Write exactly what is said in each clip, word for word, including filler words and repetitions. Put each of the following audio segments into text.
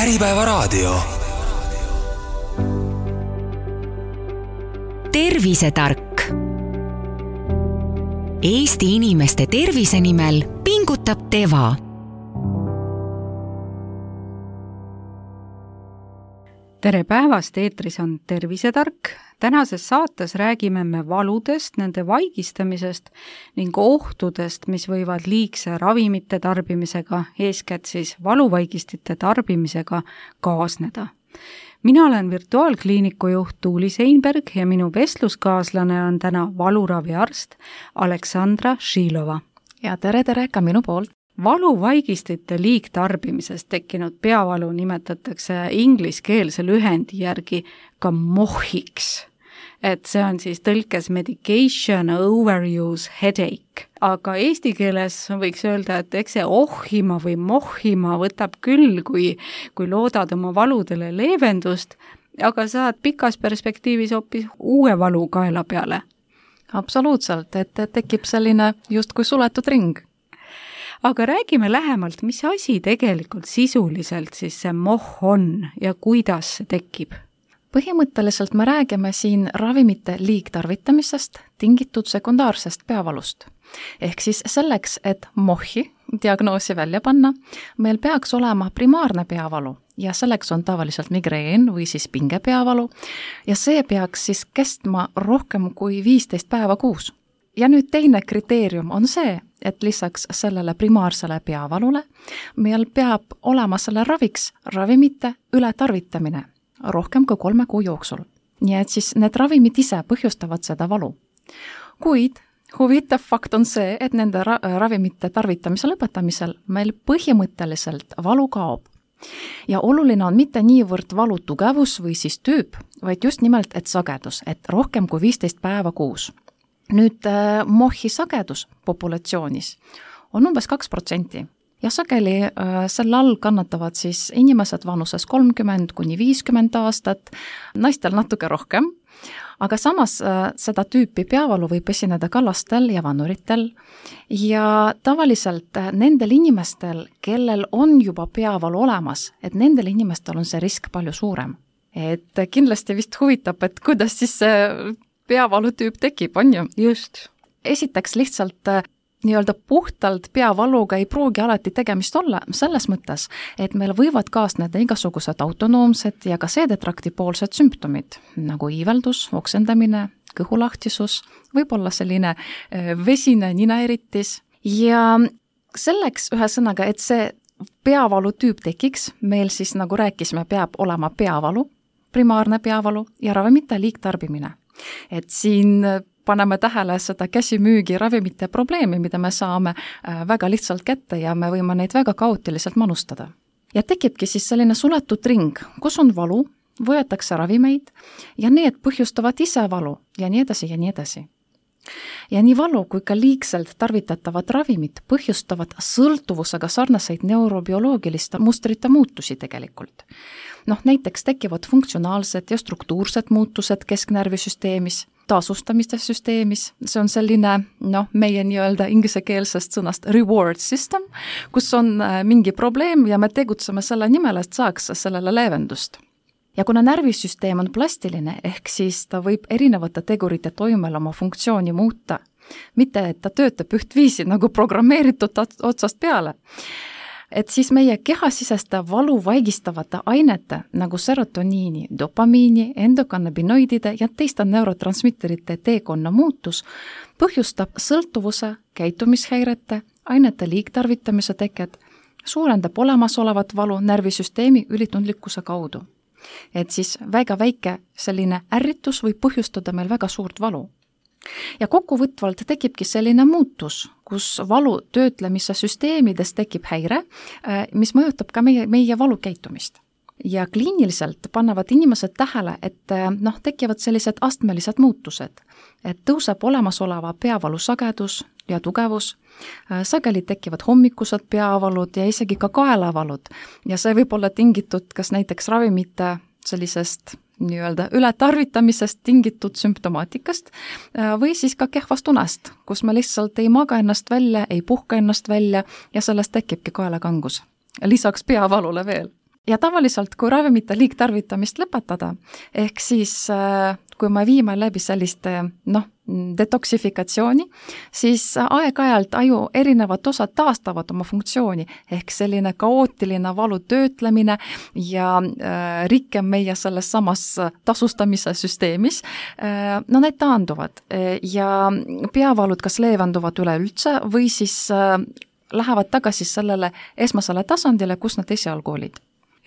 Äripäevaraadio. Tervisetark. Eesti inimeste tervise nimel pingutab Teva. Tere päevast, eetris on Tervisetark. Tänases saates räägime me valudest, nende vaigistamisest ning ohtudest, mis võivad liigse ravimite tarbimisega, eeskätt siis valuvaigistite tarbimisega kaasneda. Mina olen virtuaalkliiniku juht Tuuli Seinberg ja minu vestluskaaslane on täna valuraviarst Aleksandra Šilova. Ja tere, tere ka minu poolt. Valuvaigistite liigtarbimisest tekkinud peavalu nimetatakse ingliskeelse lühendi järgi ka mohiks. Et see on siis tõlkes medication overuse headache. Aga eesti keeles võiks öelda, et eks see ohhima või mohhima võtab küll, kui, kui loodad oma valudele leevendust, aga saad pikas perspektiivis hoopis uue valu kaela peale. Absoluutselt, et tekib selline justkui suletud ring. Aga räägime lähemalt, mis asi tegelikult sisuliselt siis see moh on ja kuidas see tekib? Põhimõtteliselt me räägime siin ravimite liigtarvitamisest tingitud sekundaarsest peavalust. Ehk siis selleks, et mohi diagnoosi välja panna, meil peaks olema primaarne peavalu ja selleks on tavaliselt migreen või siis pingepeavalu ja see peaks siis kestma rohkem kui viisteist päeva kuus. Ja nüüd teine kriteerium on see, et lisaks sellele primaarsele peavalule meil peab olema selle raviks ravimite ületarvitamine rohkem kui kolme kuu jooksul. Nii et siis need ravimid ise põhjustavad seda valu. Kuid huvitav fakt on see, et nende ra- ravimite tarvitamise lõpetamisel meil põhimõtteliselt valu kaob. Ja oluline on mitte niivõrd valu tugevus või siis tüüp, vaid just nimelt, et sagedus, et rohkem kui viisteist päeva kuus. Nüüd äh, mohi sagedus populatsioonis on umbes kaks protsenti ja sageli äh, selle all kannatavad siis inimesed vanuses kolmkümmend kuni viiskümmend aastat, naistel natuke rohkem, aga samas äh, seda tüüpi peavalu võib esineda ka lastel ja vanuritel ja tavaliselt äh, nendel inimestel, kellel on juba peavalu olemas, et nendel inimestel on see risk palju suurem. Et kindlasti vist huvitab, et kuidas siis see peavalutüüp tekib, on ju? Just. Esiteks lihtsalt äh, nii-öelda puhtalt peavaluga ei pruugi alati tegemist olla selles mõttes, et meil võivad kaasneda igasugused autonoomsed ja ka seedetraktipoolsed sümptomid, nagu iiveldus, oksendamine, kõhulahtisus, võib-olla selline äh, vesine ninaeritis. Ja selleks ühesõnaga, et see peavalutüüp tekiks, meil siis nagu rääkisime, peab olema peavalu, primaarne peavalu ja ravimite liigtarbimine. Et siin paneme tähele seda käsimüügi ravimite probleemi, mida me saame väga lihtsalt kätte ja me võime neid väga kaootiliselt manustada. Ja tekibki siis selline suletud ring, kus on valu, võetakse ravimeid ja need põhjustavad ise valu ja nii edasi ja nii edasi. Ja nii valu kui ka liigselt tarvitatavad ravimid põhjustavad sõltuvusega sarnaseid neurobioloogiliste mustrite muutusi tegelikult. Noh, näiteks tekivad funktsionaalsed ja struktuursed muutused kesknärvisüsteemis, taasustamiste süsteemis, see on selline noh, meie nii-öelda ingliskeelsest sõnast reward system, kus on mingi probleem ja me tegutseme selle nimel, et saaks sellele leevendust. Ja kuna närvisüsteem on plastiline, ehk siis ta võib erinevate tegurite toimel oma funktsiooni muuta, mitte et ta töötab ühtviisi nagu programmeeritud otsast peale, et siis meie kehasiseste valu vaigistavate ainete nagu serotoniini, dopamiini, endokannabinoidide ja teiste neurotransmitterite teekonna muutus põhjustab sõltuvuse, käitumishäirete, ainete liigtarvitamise teket, suurendab olemasolevat valu närvisüsteemi ülitundlikkuse kaudu. Et siis väga väike selline ärritus võib põhjustada meil väga suurt valu. Ja kokkuvõtvalt tekibki selline muutus, kus valu töötlemise süsteemides tekib häire, mis mõjutab ka meie, meie valukäitumist. Ja kliiniliselt panevad inimesed tähele, et noh, tekivad sellised astmelised muutused, et tõuseb olemasoleva peavalu sagedus ja tugevus, sageli tekivad hommikused peavalud ja isegi ka kaelavalud ja see võib olla tingitud kas näiteks ravimite sellisest nii-öelda ületarvitamisest tingitud sümptomaatikast või siis ka kehvast unest, kus me lihtsalt ei maga ennast välja, ei puhka ennast välja ja sellest tekibki kaelakangus. Lisaks peavalule veel. ja tavaliselt, kui ravimite liigtarvitamist lõpetada, ehk siis kui me viime läbi sellist noh, detoksifikatsiooni, siis aeg-ajalt aju erinevad osad taastavad oma funktsiooni, ehk selline kaootiline valu töötlemine ja äh, rikke meie selles samas tasustamise süsteemis, äh, no need taanduvad ja peavalud kas leevenduvad üleüldse või siis äh, lähevad tagasi sellele esmasele tasandile, kus nad esialgu olid.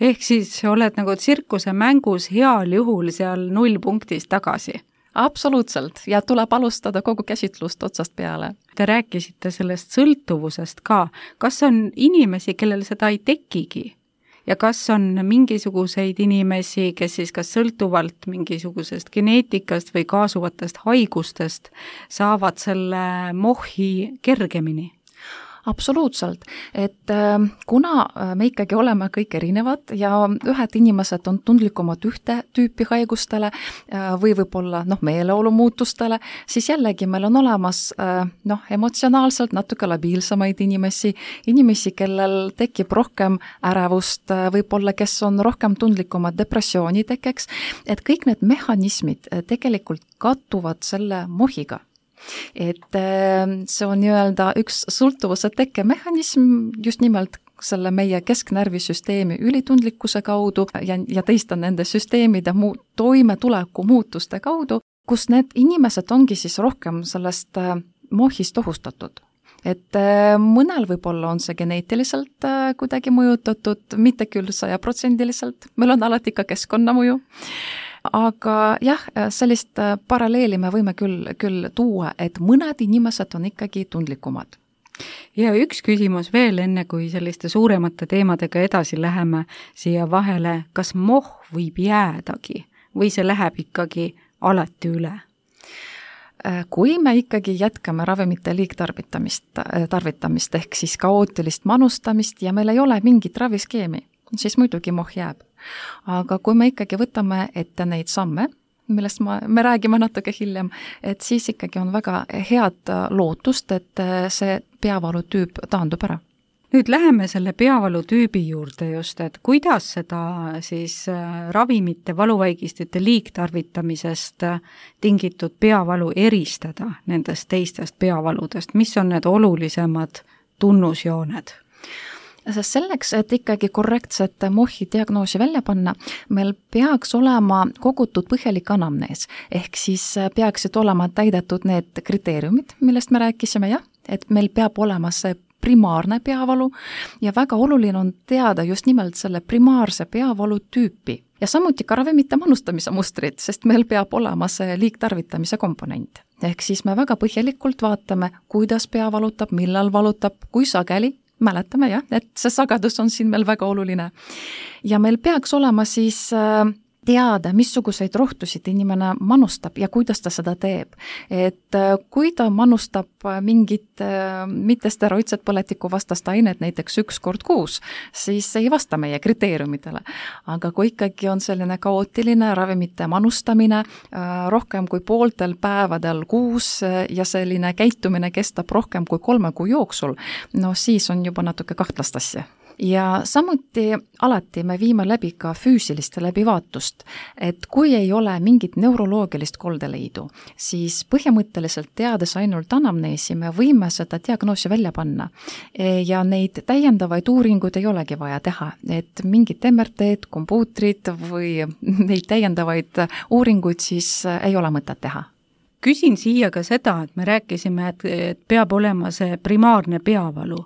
Ehk siis oled nagu tsirkuse mängus heal juhul seal nullpunktis tagasi? Absoluutselt, ja tuleb alustada kogu käsitlust otsast peale. Te rääkisite sellest sõltuvusest ka. Kas on inimesi, kellel seda ei tekigi? Ja kas on mingisuguseid inimesi, kes siis kas sõltuvalt mingisugusest geneetikast või kaasuvatest haigustest saavad selle mohhi kergemini? Absoluutselt, et kuna me ikkagi oleme kõik erinevad ja ühed inimesed on tundlikumad ühte tüüpi haigustele või võib-olla noh, meeleolu muutustele, siis jällegi meil on olemas noh, emotsionaalselt natuke labiilsemaid inimesi, inimesi, kellel tekib rohkem ärevust, võib-olla kes on rohkem tundlikumad depressiooni tekkeks, et kõik need mehhanismid tegelikult kattuvad selle mohiga. Et see on nii-öelda üks sõltuvuse tekkemehhanism just nimelt selle meie kesknärvisüsteemi ülitundlikkuse kaudu ja, ja teiste nende süsteemide muu, toimetuleku muutuste kaudu, kus need inimesed ongi siis rohkem sellest mohist ohustatud. Et mõnel võib-olla on see geneetiliselt kuidagi mõjutatud, mitte küll sajaprotsendiliselt, meil on alati ka keskkonnamõju. Aga jah, sellist paralleeli me võime küll, küll tuua, et mõned inimesed on ikkagi tundlikumad. Ja üks küsimus veel enne, kui selliste suuremate teemadega edasi läheme siia vahele, kas moh võib jäädagi või see läheb ikkagi alati üle? Kui me ikkagi jätkame ravimite liigtarvitamist, tarvitamist ehk siis kaootilist manustamist ja meil ei ole mingit raviskeemi, siis muidugi moh jääb. Aga kui me ikkagi võtame ette neid samme, millest ma, me räägime natuke hiljem, et siis ikkagi on väga head lootust, et see peavalutüüp taandub ära. Nüüd läheme selle peavalutüübi juurde just, et kuidas seda siis ravimite valuvaigistite liigtarvitamisest tingitud peavalu eristada nendest teistest peavaludest, mis on need olulisemad tunnusjooned? Selleks, et ikkagi korrektset mohi diagnoosi välja panna, meil peaks olema kogutud põhjalik anamnees, ehk siis peaksid olema täidetud need kriteeriumid, millest me rääkisime, jah, et meil peab olema see primaarne peavalu ja väga oluline on teada just nimelt selle primaarse peavalu tüüpi ja samuti ka ravimite manustamise mustrid, sest meil peab olema see liigtarvitamise komponent. Ehk siis me väga põhjalikult vaatame, kuidas pea valutab, millal valutab, kui sageli, mäletame jah, et see sagedus on siin meil väga oluline. Ja meil peaks olema siis teada, missuguseid rohtusid inimene manustab ja kuidas ta seda teeb. Et kui ta manustab mingit mittesteroidset põletikuvastast ainet näiteks üks kord kuus, siis ei vasta meie kriteeriumidele. Aga kui ikkagi on selline kaootiline ravimite manustamine rohkem kui pooltel päevadel kuus ja selline käitumine kestab rohkem kui kolme kuu jooksul, no siis on juba natuke kahtlast asja. Ja samuti alati me viime läbi ka füüsilist läbivaatust, et kui ei ole mingit neuroloogilist koldeleidu, siis põhimõtteliselt teades ainult anamneesi me võime seda diagnoosi välja panna ja neid täiendavaid uuringuid ei olegi vaja teha, et mingid M R T-d, kompuutrid või neid täiendavaid uuringuid siis ei ole mõtet teha. Küsin siia ka seda, et me rääkisime, et peab olema see primaarne peavalu,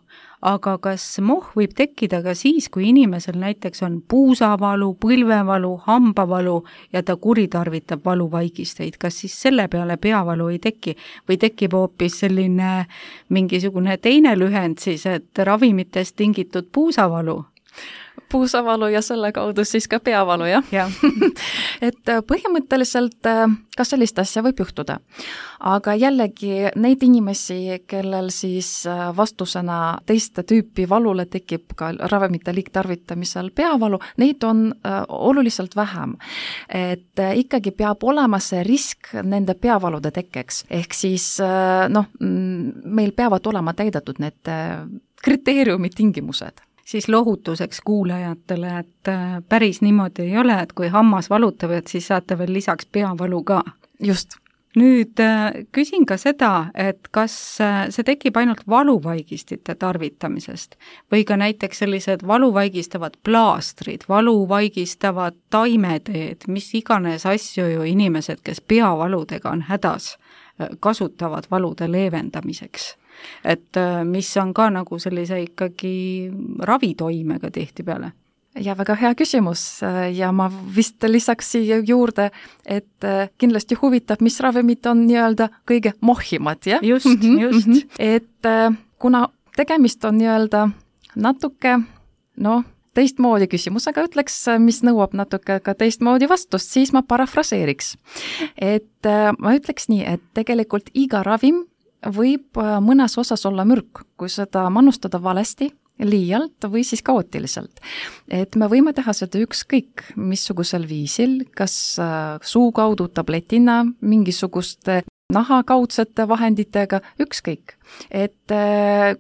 aga kas moh võib tekkida ka siis, kui inimesel näiteks on puusavalu, põlvevalu, hambavalu ja ta kuritarvitab valuvaigisteid, kas siis selle peale peavalu ei teki või tekib hoopis selline mingisugune teine lühend siis, et ravimitest tingitud puusavalu? Puusavalu ja selle kaudu siis ka peavalu, jah ja. Et põhimõtteliselt ka sellist asja võib juhtuda. Aga jällegi neid inimesi, kellel siis vastusena teiste tüüpi valule tekib ka ravimite liigtarvitamisel peavalu, neid on oluliselt vähem. Et ikkagi peab olema see risk nende peavalude tekkeks. Ehk siis noh, meil peavad olema täidetud need kriteeriumid tingimused. Siis lohutuseks kuulajatele, et päris niimoodi ei ole, et kui hammas valutab, et siis saate veel lisaks peavalu ka. Just. Nüüd küsin ka seda, et kas see tekib ainult valuvaigistite tarvitamisest või ka näiteks sellised valuvaigistavad plaastrid, valuvaigistavad taimeteed, mis iganes asju ju inimesed, kes peavaludega on hädas, kasutavad valude leevendamiseks. Et mis on ka nagu sellise ikkagi ravitoimega tihtipeale. Ja väga hea küsimus ja ma vist lisaks siia juurde, et kindlasti huvitab, mis ravimid on nii-öelda kõige mohhimad, jah? Just, just. Et kuna tegemist on nii-öelda natuke, noh, teistmoodi küsimusega ütleks, mis nõuab natuke ka teistmoodi vastust, siis ma parafraseeriks. Et ma ütleks nii, et tegelikult iga ravim võib mõnes osas olla mürk, kui seda manustada valesti, liialt või siis kaootiliselt. Et me võime teha seda ükskõik missugusel viisil, kas suu kaudu tabletina, mingisuguste nahakaudsete vahenditega, ükskõik. Et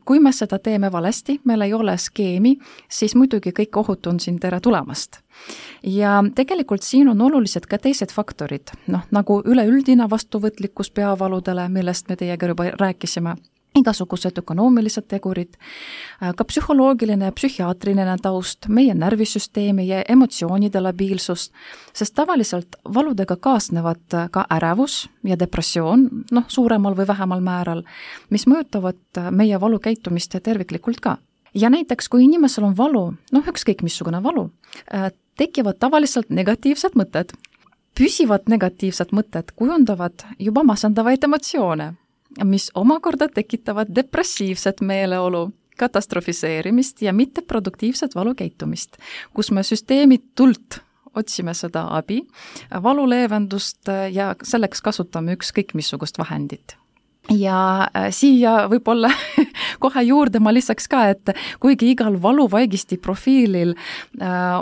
kui me seda teeme valesti, meil ei ole skeemi, siis muidugi kõik ohud on siin tere tulemast. Ja tegelikult siin on olulised ka teised faktorid, noh, nagu üleüldine vastuvõtlikkus peavaludele, millest me teiega juba rääkisime, igasugused ökonoomilised tegurid, ka psühholoogiline ja psühhiaatriline taust, meie närvisüsteemi ja emotsioonide labiilsus, sest tavaliselt valudega kaasnevad ka ärevus ja depressioon, noh, suuremal või vähemal määral, mis mõjutavad meie valukäitumist terviklikult ka. Ja näiteks, kui inimesel on valu, noh, ükskõik missugune valu, tekivad tavaliselt negatiivsed mõtted. Püsivad negatiivsed mõtted kujundavad juba masendavaid emotsioone, mis omakorda tekitavad depressiivset meeleolu, katastrofiseerimist ja mitteproduktiivset valukäitumist, kus me süsteemitult otsime seda abi, valuleevendust ja selleks kasutame ükskõik missugust vahendit. Ja siia võib-olla kohe juurde ma lisaks ka, et kuigi igal valuvaigisti profiilil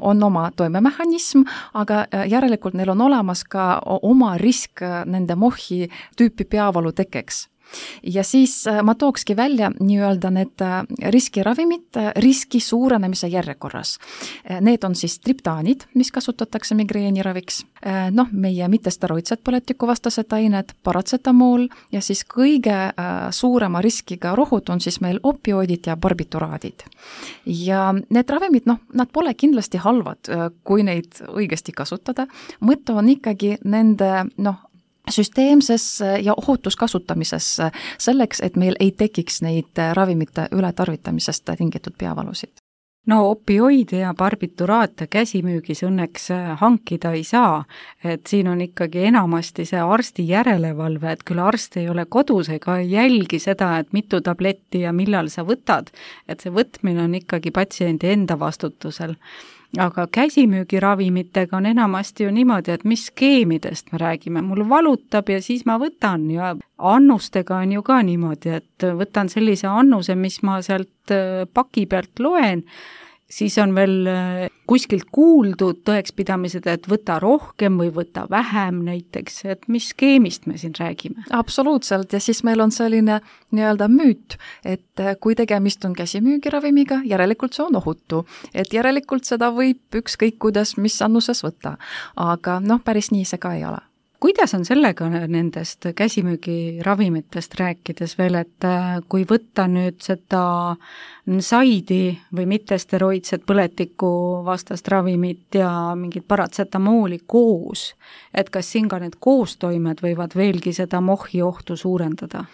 on oma toimemehhanism, aga järelikult neil on olemas ka oma risk nende mohhi tüüpi peavalu tekkeks. Ja siis ma tookski välja nii-öelda need riskiravimid riski suurenemise järjekorras. Need on siis triptaanid, mis kasutatakse migreeniraviks, noh, meie mittesteroidsed põletikuvastased ained, paratsetamool ja siis kõige suurema riskiga rohud on siis meil opioidid ja barbituraadid. Ja need ravimid, noh, nad pole kindlasti halvad, kui neid õigesti kasutada. Mõte on ikkagi nende, noh, süsteemses ja ohutus kasutamises selleks, et meil ei tekiks neid ravimite ületarvitamisest tingitud peavalusid. No opioide ja barbituraate käsimüügis õnneks hankida ei saa, et siin on ikkagi enamasti see arsti järelevalve, et küll arst ei ole kodus ega jälgi seda, et mitu tabletti ja millal sa võtad, et see võtmine on ikkagi patsiendi enda vastutusel. Aga käsimüügiravimitega on enamasti ju niimoodi, et mis skeemidest me räägime, mul valutab ja siis ma võtan ja annustega on ju ka niimoodi, et võtan sellise annuse, mis ma sealt paki pealt loen, siis on veel kuskilt kuuldud tõekspidamised, et võta rohkem või võta vähem näiteks, et mis skeemist me siin räägime? Absoluutselt, ja siis meil on selline nii-öelda müüt, et kui tegemist on käsimüügiravimiga, järelikult see on ohutu, et järelikult seda võib ükskõik kuidas, mis annuses võtta, aga noh, päris nii see ka ei ole. Kuidas on sellega nendest käsimüügiravimitest rääkides veel, et kui võtta nüüd seda saidi või mittesteroidset põletiku vastast ravimit ja mingit paratsetamooli koos, et kas siin ka need koostoimed võivad veelgi seda mohhi ohtu suurendada?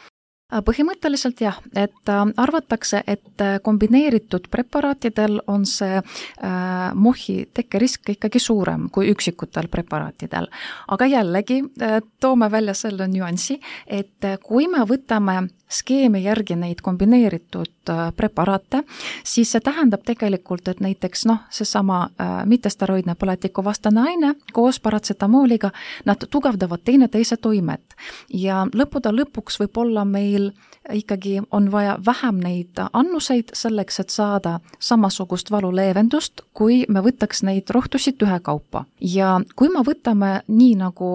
Põhimõtteliselt jah, et arvatakse, et kombineeritud preparaatidel on see äh, mohhi tekkerisk ikkagi suurem kui üksikutel preparaatidel. Aga jällegi äh, toome välja selle nüansi, et kui me võtame skeemi järgi neid kombineeritud äh, preparaate, siis see tähendab tegelikult, et näiteks noh, seesama äh, mittesteroidne põletikuvastane aine koos paratsetamooliga, nad tugevdavad teineteise toimet ja lõppude lõpuks võib olla meil ikkagi on vaja vähem neid annuseid selleks, et saada samasugust valuleevendust, kui me võtaks neid rohtusid ühekaupa. Ja kui me võtame nii nagu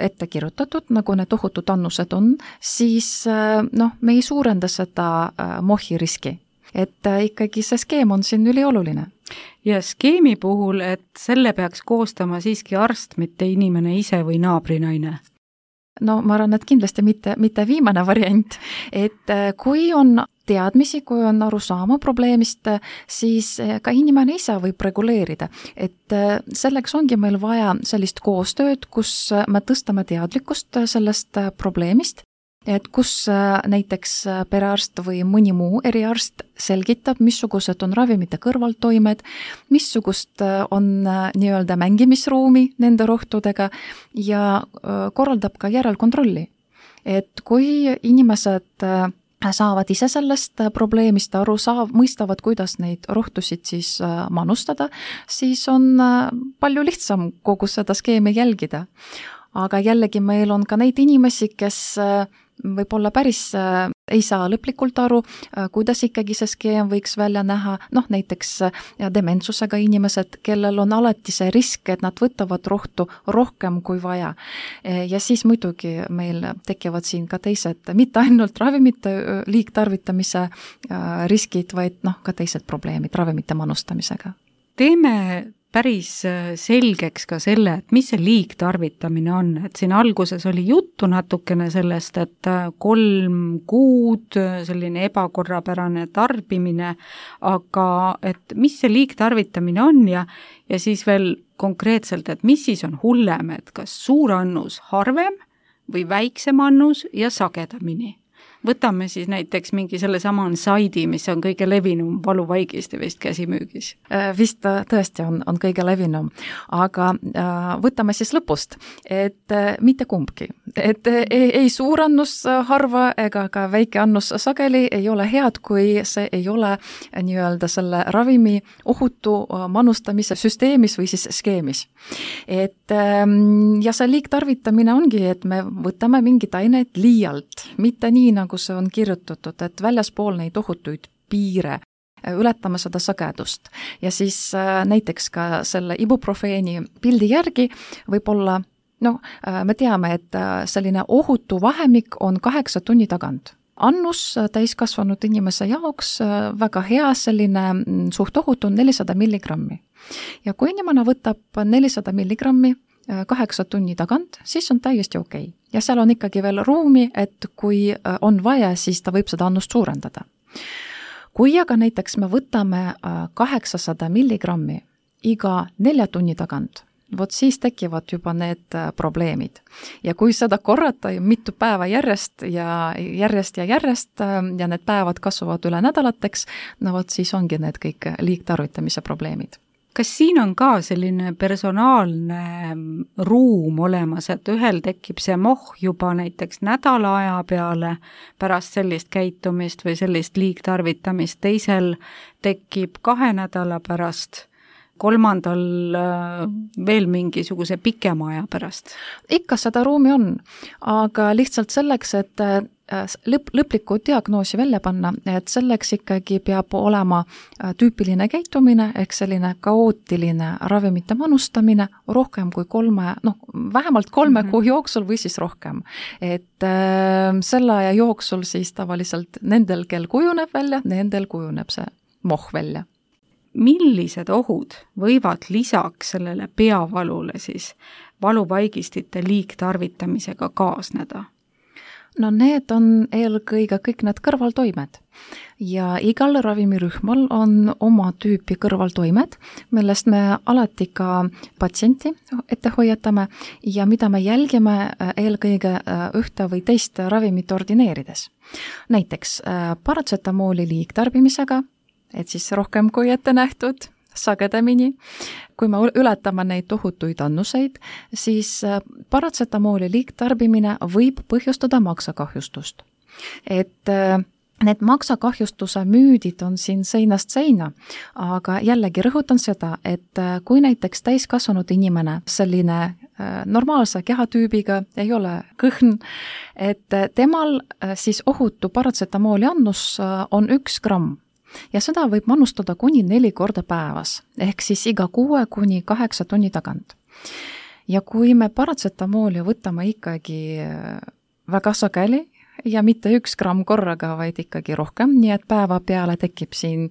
ette kirjutatud, nagu need ohutud annused on, siis noh, me ei suurenda seda mohhi riski. et ikkagi see skeem on siin ülioluline. Ja skeemi puhul, et selle peaks koostama siiski arst, mitte inimene ise või naabrinaine? No ma arvan, et kindlasti mitte, mitte viimane variant, et kui on teadmisi, kui on aru saama probleemist, siis ka inimene ise võib reguleerida. Et selleks ongi meil vaja sellist koostööd, kus me tõstame teadlikkust sellest probleemist, et kus näiteks perearst või mõni muu eriarst selgitab, missugused on ravimite kõrvaltoimed, missugust on nii-öelda mängimisruumi nende rohtudega ja korraldab ka järelkontrolli. Et kui inimesed saavad ise sellest probleemist aru, saav, mõistavad, kuidas neid rohtusid siis manustada, siis on palju lihtsam kogu seda skeemi jälgida. Aga jällegi meil on ka neid inimesi, kes võib-olla päris ei saa lõplikult aru, kuidas ikkagi see skeem võiks välja näha, noh näiteks dementsusega inimesed, kellel on alati see risk, et nad võtavad rohtu rohkem kui vaja. Ja siis muidugi meil tekivad siin ka teised, mitte ainult ravimite liigtarvitamise riskid, vaid noh, ka teised probleemid ravimite manustamisega. Teeme päris selgeks ka selle, et mis see liigtarvitamine on, et siin alguses oli juttu natukene sellest, et kolm kuud selline ebakorrapärane tarbimine, aga et mis see liigtarvitamine on ja, ja siis veel konkreetselt, et mis siis on hullem, et kas suur annus harvem või väiksem annus ja sagedamini. Võtame siis näiteks mingi selle sama ansaidi, mis on kõige levinum valuvaigisti vist käsimüügis. Vist tõesti on, on kõige levinum, aga äh, võtame siis lõpust, et äh, mitte kumbki. Et äh, ei, ei suur annus harva ega ka väike annus sageli ei ole head, kui see ei ole nii-öelda selle ravimi ohutu manustamise süsteemis või siis skeemis. Et äh, ja see liigtarvitamine ongi, et me võtame mingid aineid liialt, mitte nii nagu see on kirjutatud, et väljaspool neid ohutuid piire ületame seda sagedust. Ja siis näiteks ka selle ibuprofeeni pildi järgi võib-olla, no me teame, et selline ohutu vahemik on kaheksa tunni tagant. Annus täiskasvanud inimese jaoks väga hea, selline suht ohutu on nelisada milligrammi. Ja kui inimene võtab nelisada milligrammi kaheksa tunni tagant, siis on täiesti okei. Okay. Ja seal on ikkagi veel ruumi, et kui on vaja, siis ta võib seda annust suurendada. Kui aga näiteks me võtame kaheksasada milligrammi iga nelja tunni tagant, vot siis tekivad juba need probleemid. Ja kui seda korrata mitu päeva järjest ja järjest ja järjest ja need päevad kasvavad üle nädalateks, no vot siis ongi need kõik liigtarvitamise probleemid. Kas siin on ka selline personaalne ruum olemas, et ühel tekib see moh juba näiteks nädala aja peale pärast sellist käitumist või sellist liigtarvitamist, teisel tekib kahe nädala pärast, kolmandal veel mingisuguse pikema aja pärast? Ikka seda ruumi on, aga lihtsalt selleks, et lõp, lõplikku diagnoosi välja panna, et selleks ikkagi peab olema tüüpiline käitumine, ehk selline kaootiline ravimite manustamine rohkem kui kolme, noh, vähemalt kolme mm-hmm. kuu jooksul või siis rohkem. Et äh, selle aja jooksul siis tavaliselt nendel, kel kujuneb välja, nendel kujuneb see moh välja. Millised ohud võivad lisaks sellele peavalule siis valuvaigistite liigtarvitamisega kaasneda? No need on eelkõige kõik need kõrvaltoimed ja igal ravimirühmal on oma tüüpi kõrvaltoimed, millest me alati ka patsienti ette hoiatame ja mida me jälgime eelkõige ühte või teist ravimit ordineerides. Näiteks paratsetamooli liigtarbimisega, et siis rohkem kui ette nähtud, sagedamini. Kui me ületame neid tohutuid annuseid, siis paratsetamooli liigtarbimine võib põhjustada maksakahjustust. Et need maksakahjustuse müüdid on siin seinast seina, aga jällegi rõhutan seda, et kui näiteks täiskasvanud inimene selline normaalse kehatüübiga ei ole kõhn, et temal siis ohutu paratsetamooli annus on üks gramm. Ja seda võib manustada kuni neli korda päevas, ehk siis iga kuue kuni kaheksa tunni tagant. Ja kui me paratsetamooli võtame ikkagi väga sageli ja mitte üks gramm korraga, vaid ikkagi rohkem, nii et päeva peale tekib siin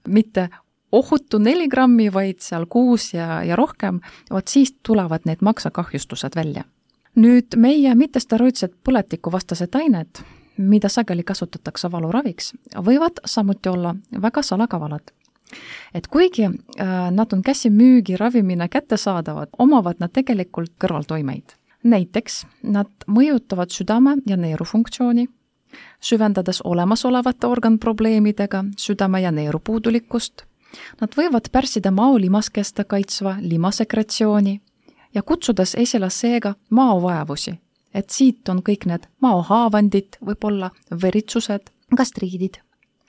mitte ohutu neli grammi, vaid seal kuus ja, ja rohkem, vot siis tulevad need maksakahjustused välja. Nüüd meie mittesteroidsed põletikuvastased ained, mida sageli kasutatakse valuraviks, võivad samuti olla väga salakavalad. Et kuigi äh, nad on käsimüügi ravimina kättesaadavad, omavad nad tegelikult kõrvaltoimeid. Näiteks nad mõjutavad südame ja neerufunktsiooni, süvendades olemasolevate organprobleemidega südame ja neerupuudulikkust. Nad võivad pärsida maolimaskeste kaitsva limasekretsiooni ja kutsudes esile seega maovajavusi, et siit on kõik need maohaavandid, võib-olla veritsused, gastriidid.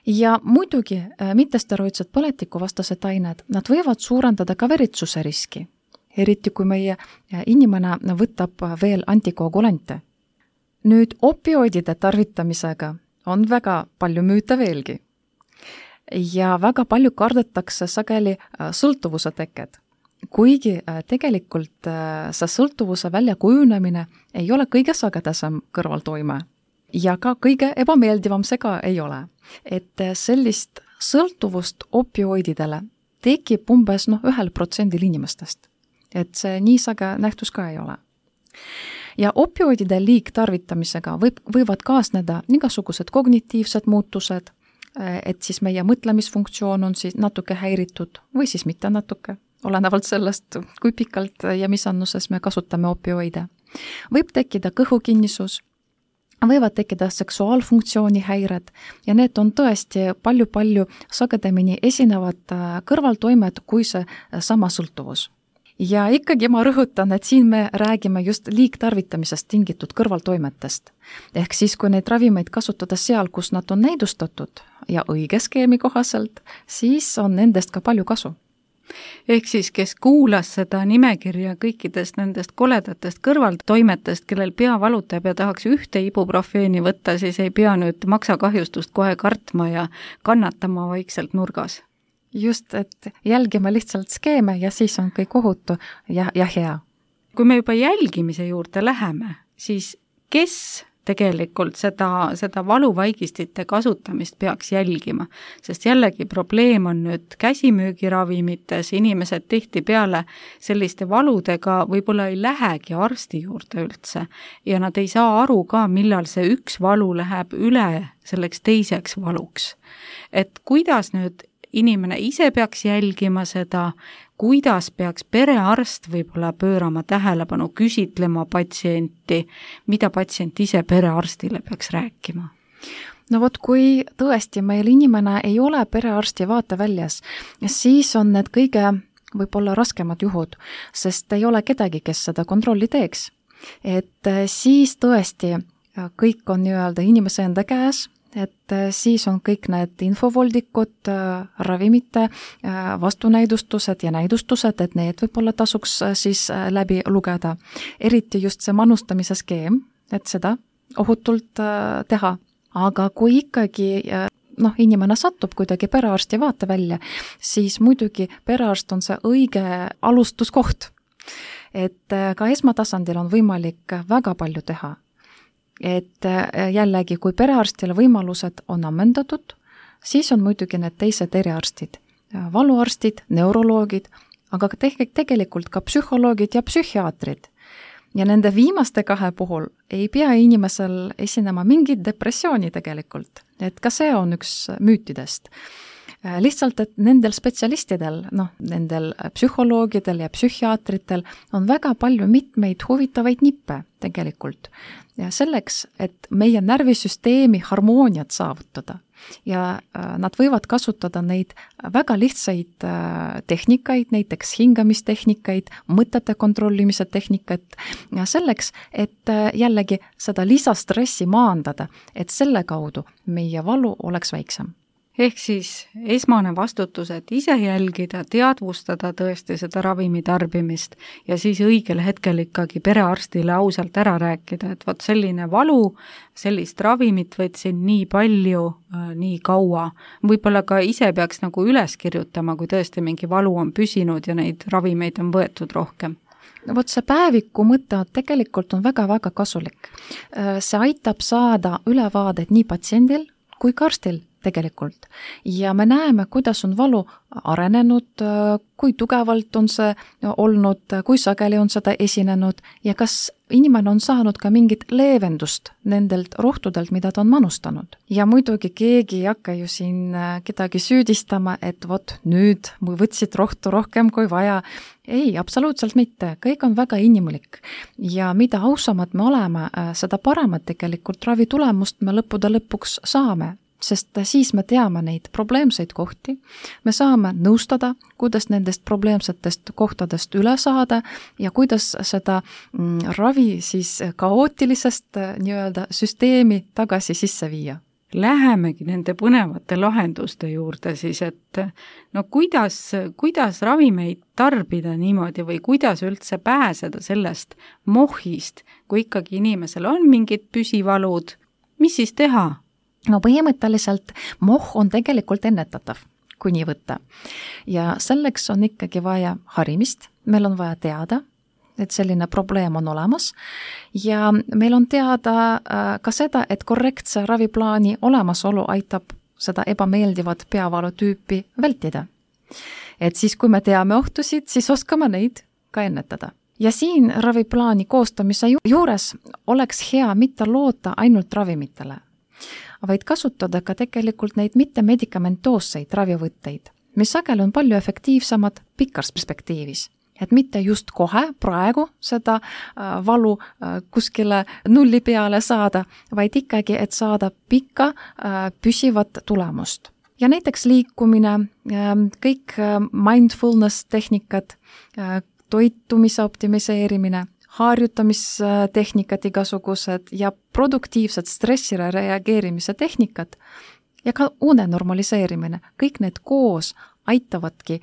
Ja muidugi mittesteroidsed põletikuvastased ained, nad võivad suurendada ka veritsuse riski, eriti kui meie inimene võtab veel antikoagulante. Nüüd opioidide tarvitamisega on väga palju müüte veelgi. Ja väga palju kardetakse sageli sõltuvuse teked. Kuigi tegelikult see sõltuvuse väljakujunemine ei ole kõige sagedasem kõrvaltoime ja ka kõige ebameeldivam see ka ei ole. Et sellist sõltuvust opioididele tekib umbes no, ühel protsendil inimestest. Et see nii sage nähtus ka ei ole. Ja opioidide liigtarvitamisega võib, võivad kaasneda igasugused kognitiivsed muutused, et siis meie mõtlemisfunktsioon on siis natuke häiritud või siis mitte natuke, olenevalt sellest, kui pikalt ja mis annuses me kasutame opioide. Võib tekkida kõhukinnisus, võivad tekkida seksuaalfunktsiooni häired ja need on tõesti palju-palju sagedamini esinevad kõrvaltoimed kui see sama sõltuvus. Ja ikkagi ma rõhutan, et siin me räägime just liigtarvitamisest tingitud kõrvaltoimetest. Ehk siis, kui neid ravimeid kasutada seal, kus nad on näidustatud ja õige skeemi kohaselt, siis on nendest ka palju kasu. Ehk siis, kes kuulas seda nimekirja kõikidest nendest koledatest kõrvaltoimetest, kellel pea valutab ja tahaks ühte ibuprofeeni võtta, siis ei pea nüüd maksakahjustust kohe kartma ja kannatama vaikselt nurgas. Just, et jälgime lihtsalt skeeme ja siis on kõik ohutu ja, ja hea. Kui me juba jälgimise juurde läheme, siis kes tegelikult seda, seda valuvaigistite kasutamist peaks jälgima? Sest jällegi probleem on nüüd käsimüügiravimites, inimesed tihtipeale selliste valudega võib-olla ei lähegi arsti juurde üldse ja nad ei saa aru ka, millal see üks valu läheb üle selleks teiseks valuks. Et kuidas nüüd inimene ise peaks jälgima seda, kuidas peaks perearst võib-olla pöörama tähelepanu, küsitlema patsienti, mida patsient ise perearstile peaks rääkima? No vot, kui tõesti meil inimene ei ole perearsti vaateväljas, siis on need kõige võib-olla raskemad juhud, sest ei ole kedagi, kes seda kontrolli teeks. Et siis tõesti kõik on nii-öelda inimese enda käes, et siis on kõik need infovoldikud, ravimite vastunäidustused ja näidustused, et need võib-olla tasuks siis läbi lugeda. Eriti just see manustamise skeem, et seda ohutult teha. Aga kui ikkagi noh, inimene satub kuidagi perearsti vaatevälja, siis muidugi perearst on see õige alustuskoht. Et ka esmatasandil on võimalik väga palju teha. Et jällegi, kui perearstile võimalused on ammendatud, siis on muidugi need teised eriarstid, valuarstid, neuroloogid, aga tegelikult ka psühholoogid ja psühhiaatrid. Ja nende viimaste kahe puhul ei pea inimesel esinema mingit depressiooni tegelikult, et ka see on üks müütidest. Lihtsalt, et nendel spetsialistidel, noh, nendel psühholoogidel ja psühhiaatritel on väga palju mitmeid huvitavaid nippe tegelikult. Ja selleks, et meie närvisüsteemi harmooniat saavutada ja nad võivad kasutada neid väga lihtsaid tehnikaid, näiteks hingamistehnikaid, mõtete kontrollimise tehnikat ja selleks, et jällegi seda lisastressi maandada, et selle kaudu meie valu oleks väiksem. Ehk siis esmane vastutus, et ise jälgida, teadvustada tõesti seda ravimi tarbimist ja siis õigel hetkel ikkagi perearstile ausalt ära rääkida, et vot selline valu, sellist ravimit võtsin nii palju, nii kaua. Võib-olla ka ise peaks nagu üles kirjutama, kui tõesti mingi valu on püsinud ja neid ravimeid on võetud rohkem. Vot see päeviku mõte tegelikult on väga-väga kasulik. See aitab saada ülevaadet nii patsiendil kui ka arstil tegelikult. Ja me näeme, kuidas on valu arenenud, kui tugevalt on see olnud, kui sageli on seda esinenud ja kas inimene on saanud ka mingit leevendust nendelt rohtudelt, mida ta on manustanud. Ja muidugi keegi ei hakka ju siin kedagi süüdistama, et vot nüüd võtsid rohtu rohkem kui vaja. Ei, absoluutselt mitte. Kõik on väga inimlik. Ja mida ausamad me oleme, seda paremat tegelikult ravi tulemust me lõppude lõpuks saame. Sest siis me teame neid probleemseid kohti, me saame nõustada, kuidas nendest probleemsetest kohtadest üle saada ja kuidas seda ravi siis kaootilisest nii-öelda süsteemi tagasi sisse viia. Lähemegi nende põnevate lahenduste juurde siis, et no kuidas, kuidas ravimeid tarbida niimoodi või kuidas üldse pääseda sellest mohist, kui ikkagi inimesel on mingid püsivalud, mis siis teha? No põhimõtteliselt moh on tegelikult ennetatav, kui nii võtta. Ja selleks on ikkagi vaja harimist, meil on vaja teada, et selline probleem on olemas ja meil on teada ka seda, et korrektse raviplaani olemasolu aitab seda ebameeldivat peavalu tüüpi vältida. Et siis, kui me teame ohtusid, siis oskame neid ka ennetada. Ja siin raviplaani koostamise juures oleks hea mitte loota ainult ravimitele, vaid kasutada ka tegelikult neid mittemedikamentoosseid ravivõtteid, mis sageli on palju efektiivsemad pikas perspektiivis. Et mitte just kohe praegu seda valu kuskile nulli peale saada, vaid ikkagi, et saada pikka püsivat tulemust. Ja näiteks liikumine, kõik mindfulness tehnikad, toitumise optimiseerimine, harjutamistehnikad igasugused ja produktiivsed stressile reageerimise tehnikad ja ka une normaliseerimine. Kõik need koos aitavadki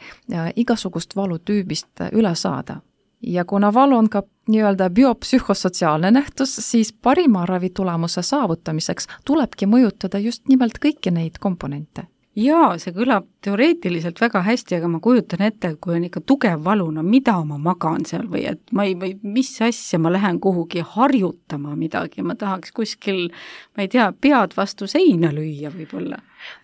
igasugust valutüübist üle saada. Ja kuna valu on ka nii-öelda biopsühhosotsiaalne nähtus, siis parima ravitulemuse saavutamiseks tulebki mõjutada just nimelt kõiki neid komponente. Jaa, see kõlab teoreetiliselt väga hästi, aga ma kujutan ette, et kui on ikka tugev valu, no mida ma magan seal või et ma ei, või mis asja ma lähen kuhugi harjutama midagi, ma tahaks kuskil, ma ei tea, pead vastu seina lüüa võib-olla.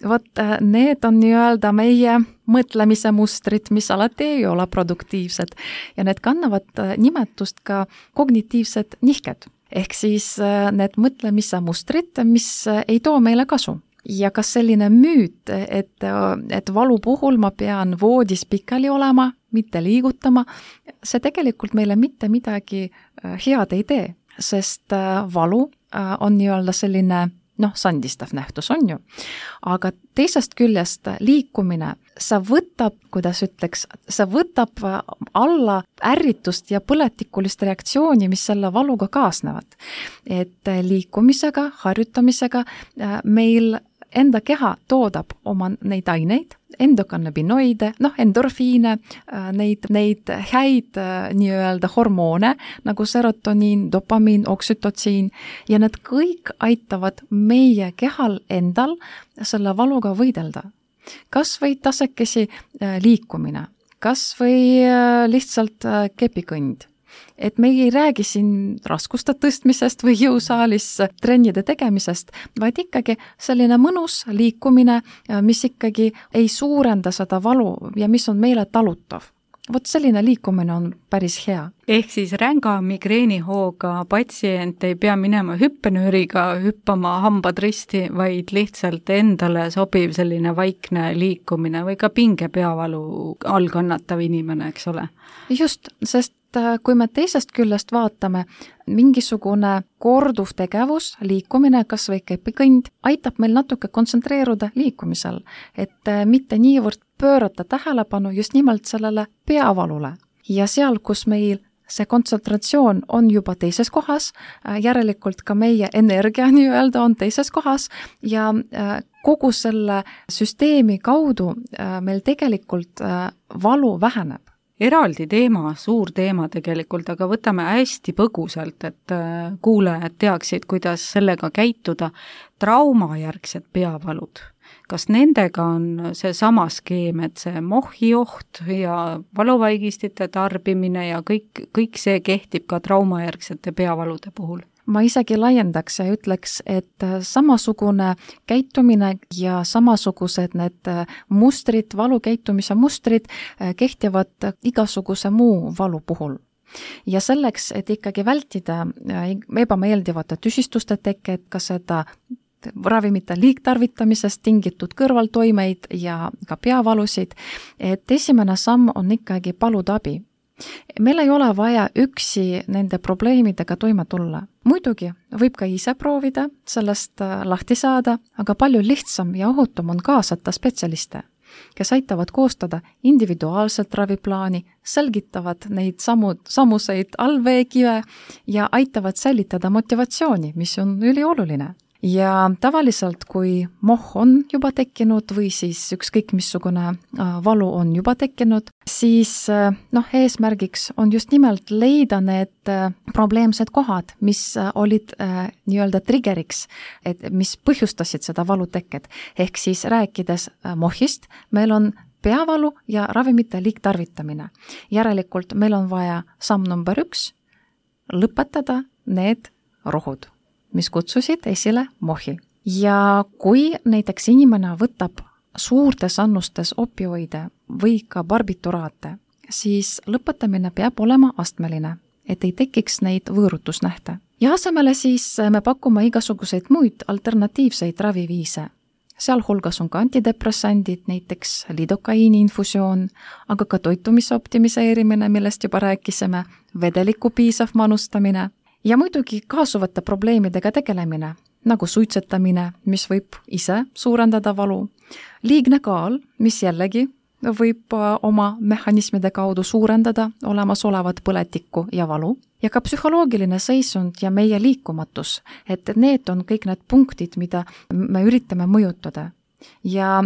Vot need on nii-öelda meie mõtlemise mustrid, mis alati ei ole produktiivsed ja need kannavad nimetust ka kognitiivsed nihked, ehk siis need mõtlemise mustrid, mis ei too meile kasu. Ja kas selline müüt, et, et valu puhul ma pean voodis pikali olema, mitte liigutama, see tegelikult meile mitte midagi head ei tee, sest valu on nii-öelda selline, noh, sandistav nähtus on ju. Aga teisest küljest liikumine, sa võtab, kuidas ütleks, sa võtab alla ärritust ja põletikulist reaktsiooni, mis selle valuga kaasnevad. Et liikumisega, harjutamisega meil enda keha toodab oma neid aineid, endokannabinoide, noh, endorfiine, neid, neid häid nii-öelda hormoone, nagu serotoniin, dopamiin, oksütotsiin, ja need kõik aitavad meie kehal endal selle valuga võidelda. Kas või tasekesi liikumine, kas või lihtsalt kepikõnd. Et me ei räägi siin raskuste tõstmisest või jõusaalis trennide tegemisest, vaid ikkagi selline mõnus liikumine, mis ikkagi ei suurenda seda valu ja mis on meile talutav. Vot selline liikumine on päris hea. Ehk siis ränga migreenihooga patsient ei pea minema hüppenööriga hüppama hambad risti, vaid lihtsalt endale sobiv selline vaikne liikumine või ka pinge peavalu all kannatav inimene, eks ole? Just, sest kui me teisest küljest vaatame, mingisugune korduv tegevus, liikumine, kas või kepikõnd, aitab meil natuke kontsentreeruda liikumisel, et mitte niivõrd pöörata tähelepanu just nimelt sellele peavalule. Ja seal, kus meil see kontsentratsioon on juba teises kohas, järelikult ka meie energia nii-öelda on teises kohas ja kogu selle süsteemi kaudu meil tegelikult valu väheneb. Eraldi teema, suur teema tegelikult, aga võtame hästi põgusalt, et kuulajad teaksid, kuidas sellega käituda. Traumajärgsed peavalud. kas nendega on see sama skeem, et see mohhi oht ja valuvaigistite tarbimine ja kõik, kõik see kehtib ka traumajärgsete peavalude puhul? Ma isegi laiendaks ja ütleks, et samasugune käitumine ja samasugused need mustrid, valukäitumise mustrid kehtivad igasuguse muu valu puhul. Ja selleks, et ikkagi vältida ebameeldivate tüsistuste teket, ka seda ravimite liigtarvitamisest tingitud kõrvaltoimeid ja ka peavalusid, et esimene samm on ikkagi paluda abi. Meil ei ole vaja üksi nende probleemidega toime tulla. Muidugi võib ka ise proovida sellest lahti saada, aga palju lihtsam ja ohutum on kaasata spetsialiste, kes aitavad koostada individuaalset raviplaani, selgitavad neid samu, samuseid allveekive ja aitavad säilitada motivatsiooni, mis on ülioluline. Ja tavaliselt, kui moh on juba tekkinud või siis ükskõik missugune valu on juba tekkinud, siis noh, eesmärgiks on just nimelt leida need probleemsed kohad, mis olid äh, nii-öelda triggeriks, et mis põhjustasid seda valuteket. Ehk siis rääkides mohist, meil on peavalu ja ravimite liigtarvitamine. Järelikult meil on vaja samm number üks, lõpetada need rohud, mis kutsusid esile mohi. Ja kui näiteks inimene võtab suurtes annustes opioide või ka barbituraate, siis lõpetamine peab olema astmeline, et ei tekiks neid võõrutusnähte. Ja asemele siis me pakume igasuguseid muid alternatiivseid raviviise. Sealhulgas on ka antidepressandid, näiteks lidokaiini infusioon, aga ka toitumise optimiseerimine, millest juba rääkisime, vedeliku piisav manustamine, ja muidugi kaasuvate probleemidega tegelemine, nagu suitsetamine, mis võib ise suurendada valu, liigne kaal, mis jällegi võib oma mehhanismide kaudu suurendada olemasolevat põletikku ja valu, ja ka psühholoogiline seisund ja meie liikumatus, et need on kõik need punktid, mida me üritame mõjutada. Ja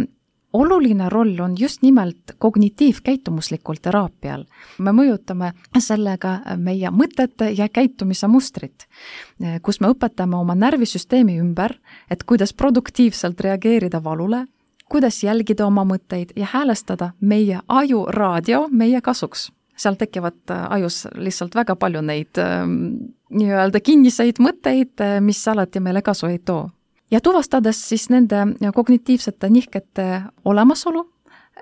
oluline roll on just nimelt kognitiivkäitumuslikul teraapial. Me mõjutame sellega meie mõtete ja käitumise mustrit, kus me õpetame oma närvisüsteemi ümber, et kuidas produktiivselt reageerida valule, kuidas jälgida oma mõtteid ja häälestada meie aju raadio meie kasuks. Seal tekivad ajus lihtsalt väga palju neid nii-öelda kinniseid mõtteid, mis alati meile kasu ei too. Ja tuvastades siis nende kognitiivsete nihkete olemasolu,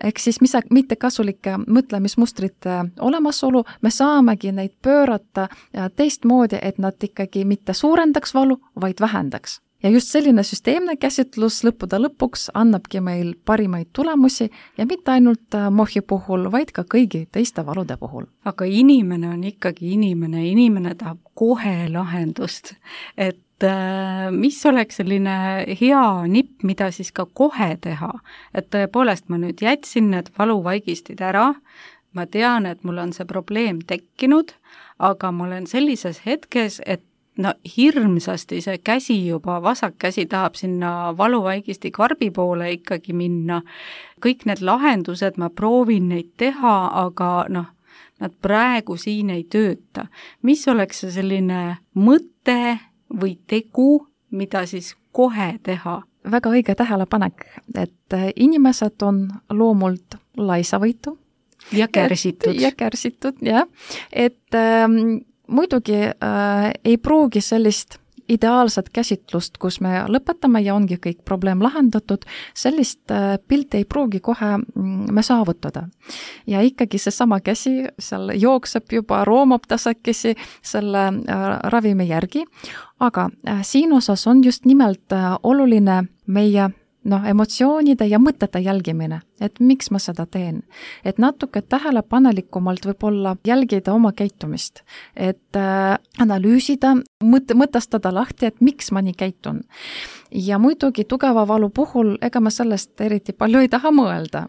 ehk siis mis, mitte kasulike mõtlemismustrite olemasolu, me saamegi neid pöörata teistmoodi, et nad ikkagi mitte suurendaks valu, vaid vähendaks. Ja just selline süsteemne käsitlus lõppude lõpuks annabki meil parimaid tulemusi ja mitte ainult mohi puhul, vaid ka kõigi teiste valude puhul. Aga inimene on ikkagi inimene, inimene tahab kohe lahendust, et mis oleks selline hea nipp, mida siis ka kohe teha, et tõepoolest ma nüüd jätsin need valuvaigistid ära, ma tean, et mul on see probleem tekkinud, aga ma olen sellises hetkes, et no hirmsasti see käsi juba, vasak käsi tahab sinna valuvaigisti karbi poole ikkagi minna, kõik need lahendused, ma proovin neid teha, aga noh, nad praegu siin ei tööta. Mis oleks see selline mõte või tegu, mida siis kohe teha? Väga õige tähelepanek, et inimesed on loomult laisavõitu. Ja kärsitud. Ja kärsitud, jah. Et ähm, muidugi äh, ei pruugi sellist ideaalset käsitlust, kus me lõpetame ja ongi kõik probleem lahendatud, sellist äh, pilti ei pruugi kohe me saavutada. Ja ikkagi see sama käsi seal jookseb juba, roomab tasakesi selle äh, ravimi järgi, aga äh, siin osas on just nimelt äh, oluline meie noh, emotsioonide ja mõtete jälgimine, et miks ma seda teen. Et natuke tähelepanelikumalt võib-olla jälgida oma käitumist, et äh, analüüsida, mõt- mõtestada lahti, et miks ma nii käitun. Ja muidugi tugeva valu puhul, ega ma sellest eriti palju ei taha mõelda.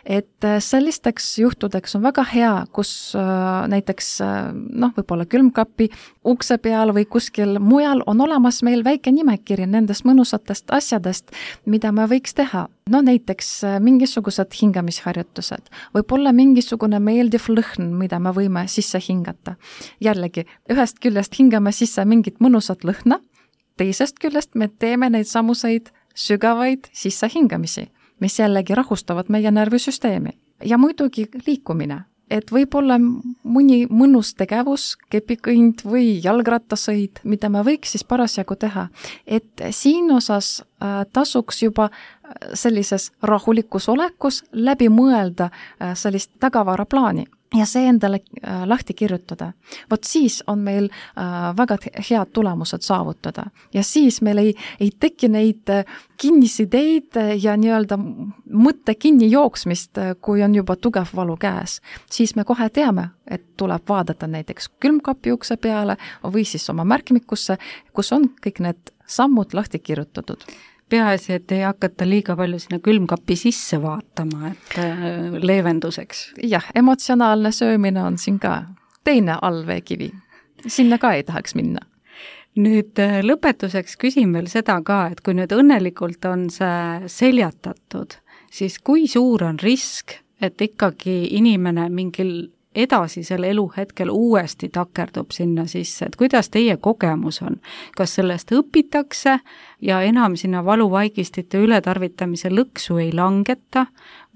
Et sellisteks juhtudeks on väga hea, kus äh, näiteks äh, noh, võib-olla külmkapi ukse peal või kuskil mujal on olemas meil väike nimekiri nendest mõnusatest asjadest, mida me võiks teha. No näiteks äh, mingisugused hingamisharjutused, võib-olla mingisugune meeldiv lõhn, mida me võime sisse hingata. Jällegi, ühest küljest hingame sisse mingit mõnusat lõhna, teisest küljest me teeme neid samuseid sügavaid sissehingamisi, mis jällegi rahustavad meie närvisüsteemi. Ja muidugi liikumine, et võib-olla mõni mõnus tegevus, kepikõnd või jalgrattasõid, mida me võiks siis parasjagu teha. Et siin osas äh, tasuks juba sellises rahulikus olekus läbi mõelda äh, sellist tagavaraplaani ja see endale äh, lahti kirjutada. Vot siis on meil äh, väga head tulemused saavutada ja siis meil ei, ei teki neid äh, kinnisideid ja nii-öelda mõtte kinni jooksmist, äh, kui on juba tugev valu käes. Siis me kohe teame, et tuleb vaadata näiteks külmkapi ukse peale või siis oma märkmikusse, kus on kõik need sammud lahti kirjutatud. Peaasi, et ei hakata liiga palju sinna külmkapi sisse vaatama, et leevenduseks. Jah, emotsionaalne söömine on siin ka teine allveekivi. Sinna ka ei tahaks minna. Nüüd lõpetuseks küsin veel seda ka, et kui nüüd õnnelikult on see seljatatud, siis kui suur on risk, et ikkagi inimene mingil edasisel eluhetkel uuesti takerdub sinna sisse, et kuidas teie kogemus on? Kas sellest õpitakse ja enam sinna valuvaigistite ületarvitamise lõksu ei langeta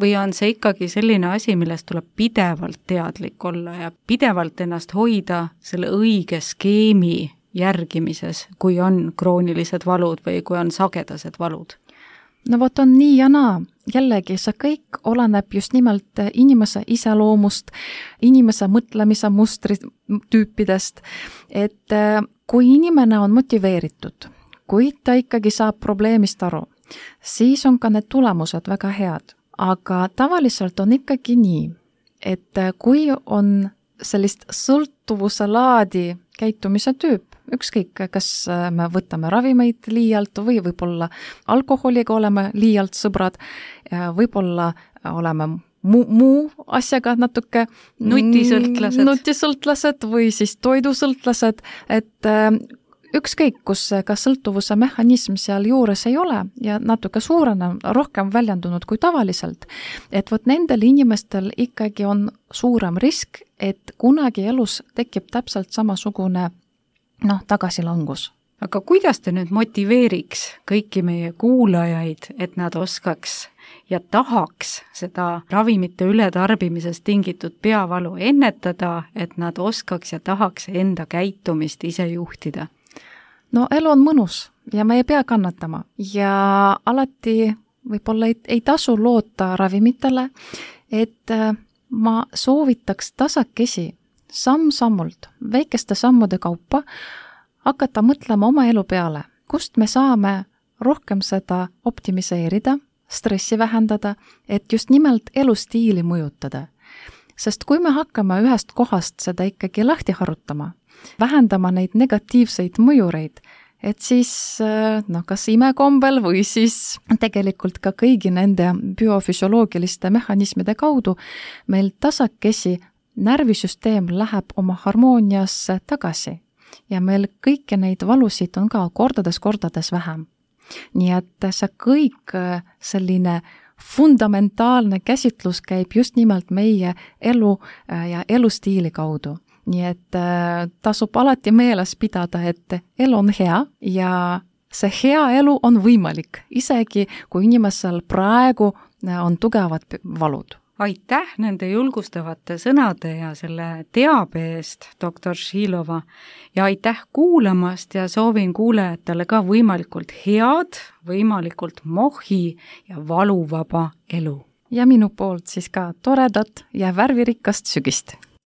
või on see ikkagi selline asi, millest tuleb pidevalt teadlik olla ja pidevalt ennast hoida selle õige skeemi järgimises, kui on kroonilised valud või kui on sagedased valud? No vot on nii ja naa. Jällegi, see kõik oleneb just nimelt inimese iseloomust, inimese mõtlemise mustri tüüpidest, et kui inimene on motiveeritud, kui ta ikkagi saab probleemist aru, siis on ka need tulemused väga head. Aga tavaliselt on ikkagi nii, et kui on sellist sõltuvuse laadi käitumise tüüp, ükskõik, kas me võtame ravimeid liialt või võib-olla alkoholiga oleme liialt sõbrad, võib-olla oleme muu, muu asjaga natuke nutisõltlased. nutisõltlased või siis toidusõltlased, et ükskõik, kus ka sõltuvuse mehhanism seal juures ei ole ja natuke suurena, rohkem väljendunud kui tavaliselt, et vot nendel inimestel ikkagi on suurem risk, et kunagi elus tekib täpselt samasugune noh, tagasilangus. Aga kuidas te nüüd motiveeriks kõiki meie kuulajaid, et nad oskaks ja tahaks seda ravimite ületarbimisest tingitud peavalu ennetada, et nad oskaks ja tahaks enda käitumist ise juhtida? No elu on mõnus ja me ei pea kannatama ja alati võib-olla ei, ei tasu loota ravimitele, et ma soovitaks tasakesi samm-sammult, väikeste sammude kaupa hakata mõtlema oma elu peale, kust me saame rohkem seda optimiseerida, stressi vähendada, et just nimelt elustiili mõjutada. Sest kui me hakkame ühest kohast seda ikkagi lahti harutama, vähendama neid negatiivseid mõjureid, et siis noh, kas imekombel või siis tegelikult ka kõigi nende biofüsioloogiliste mehhanismide kaudu meil tasakesi närvisüsteem läheb oma harmooniasse tagasi ja meil kõiki neid valusid on ka kordades-kordades vähem. Nii et see kõik selline fundamentaalne käsitlus käib just nimelt meie elu ja elustiili kaudu. Nii et tasub alati meeles pidada, et elu on hea ja see hea elu on võimalik, isegi kui inimesel praegu on tugevad valud. Aitäh nende julgustavate sõnade ja selle teabe eest, doktor Šilova, ja aitäh kuulamast ja soovin kuulajatele ka võimalikult head, võimalikult mohi ja valuvaba elu. Ja minu poolt siis ka toredat ja värvirikast sügist.